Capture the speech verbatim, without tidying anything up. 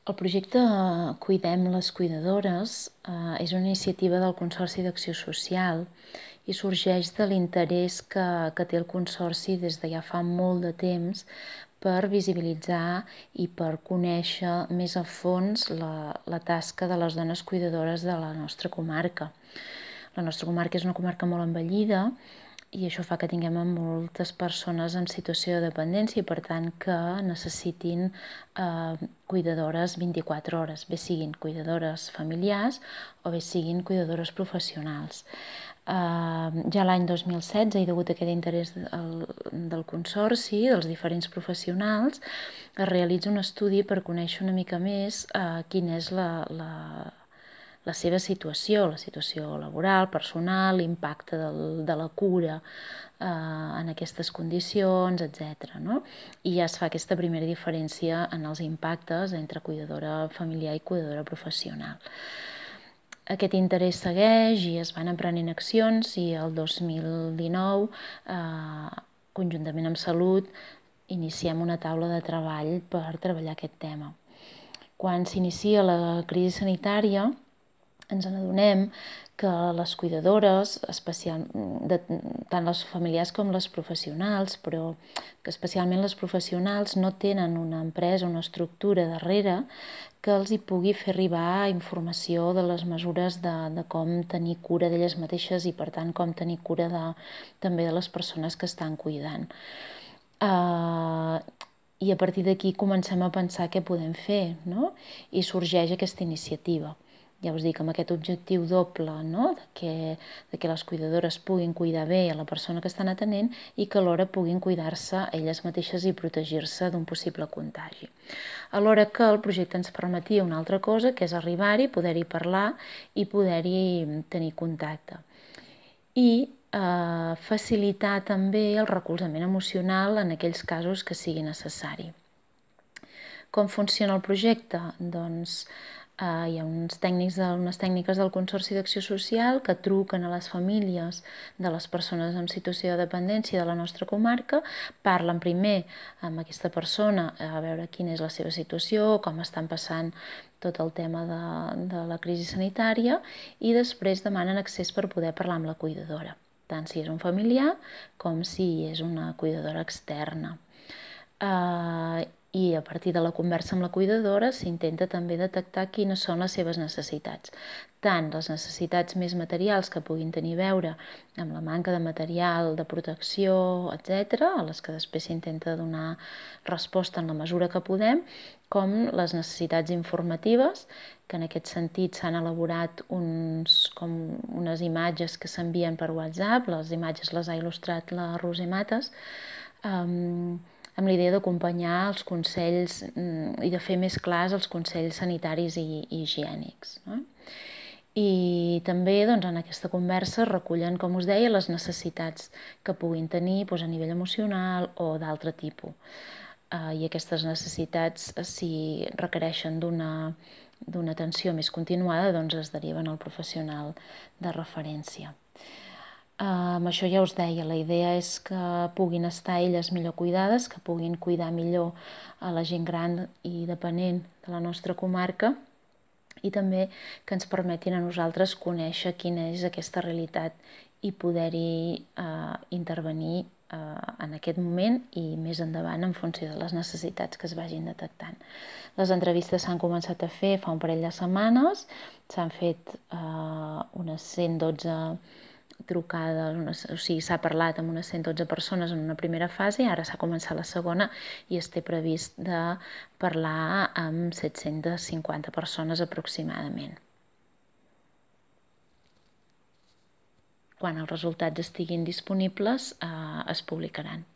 El projecte Cuidem les Cuidadores eh, és una iniciativa del Consorci d'Acció Social i sorgeix de l'interès que, que té el Consorci des de ja fa molt de temps per visibilitzar i per conèixer més a fons la, la tasca de les dones cuidadores de la nostra comarca. La nostra comarca és una comarca molt envellida i això fa que tinguem moltes persones en situació de dependència i per tant que necessitin eh, cuidadores vint-i-quatre hores, bé siguin cuidadores familiars o bé siguin cuidadores professionals. Eh, ja l'any dos mil setze, i degut a aquest interès del, del Consorci, dels diferents professionals, es realitza un estudi per conèixer una mica més eh, quina és la, la la seva situació, la situació laboral, personal, l'impacte del, de la cura eh, en aquestes condicions, etcètera. No? I ja es fa aquesta primera diferència en els impactes entre cuidadora familiar i cuidadora professional. Aquest interès segueix i es van emprenent accions i el dos mil dinou, eh, conjuntament amb Salut, iniciem una taula de treball per treballar aquest tema. Quan s'inicia la crisi sanitària, ens n'adonem que les cuidadores, especial, de, tant les familiars com les professionals, però que especialment les professionals no tenen una empresa, una estructura darrere que els hi pugui fer arribar informació de les mesures de, de com tenir cura d'elles mateixes i per tant com tenir cura de, també de les persones que estan cuidant. Uh, I a partir d'aquí comencem a pensar què podem fer, no? I sorgeix aquesta iniciativa. Ja us dic, amb aquest objectiu doble, no? de, que, de que les cuidadores puguin cuidar bé a la persona que estan atenent i que alhora puguin cuidar-se elles mateixes i protegir-se d'un possible contagi. Alhora que el projecte ens permetia una altra cosa, que és arribar-hi, poder-hi parlar i poder-hi tenir contacte. I eh, facilitar també el recolzament emocional en aquells casos que sigui necessari. Com funciona el projecte? Doncs Uh, hi ha uns tècnics de, unes tècniques del Consorci d'Acció Social que truquen a les famílies de les persones en situació de dependència de la nostra comarca, parlen primer amb aquesta persona a veure quina és la seva situació, com estan passant tot el tema de, de la crisi sanitària i després demanen accés per poder parlar amb la cuidadora, tant si és un familiar com si és una cuidadora externa. Uh, i a partir de la conversa amb la cuidadora s'intenta també detectar quines són les seves necessitats, tant les necessitats més materials que puguin tenir a veure amb la manca de material, de protecció, etcètera, a les que després s'intenta donar resposta en la mesura que podem, com les necessitats informatives, que en aquest sentit s'han elaborat uns, com unes imatges que s'envien per WhatsApp, les imatges les ha il·lustrat la Roser Mates, um, amb la idea d'acompanyar els consells i de fer més clars els consells sanitaris i, i higiènics. No? I també doncs, en aquesta conversa recullen, com us deia, les necessitats que puguin tenir doncs, a nivell emocional o d'altre tipus. Uh, I aquestes necessitats, si requereixen d'una d'una atenció més continuada, doncs es deriven al professional de referència. Uh, amb això ja us deia, la idea és que puguin estar elles millor cuidades, que puguin cuidar millor a la gent gran i dependent de la nostra comarca i també que ens permetin a nosaltres conèixer quina és aquesta realitat i poder-hi uh, intervenir uh, en aquest moment i més endavant en funció de les necessitats que es vagin detectant. Les entrevistes s'han començat a fer fa un parell de setmanes, s'han fet uh, unes cent dotze trucades, unes, o sigui, s'ha parlat amb unes cent dotze persones en una primera fase, ara s'ha començat la segona i es té previst de parlar amb set-centes cinquanta persones aproximadament. Quan els resultats estiguin disponibles, eh, es publicaran.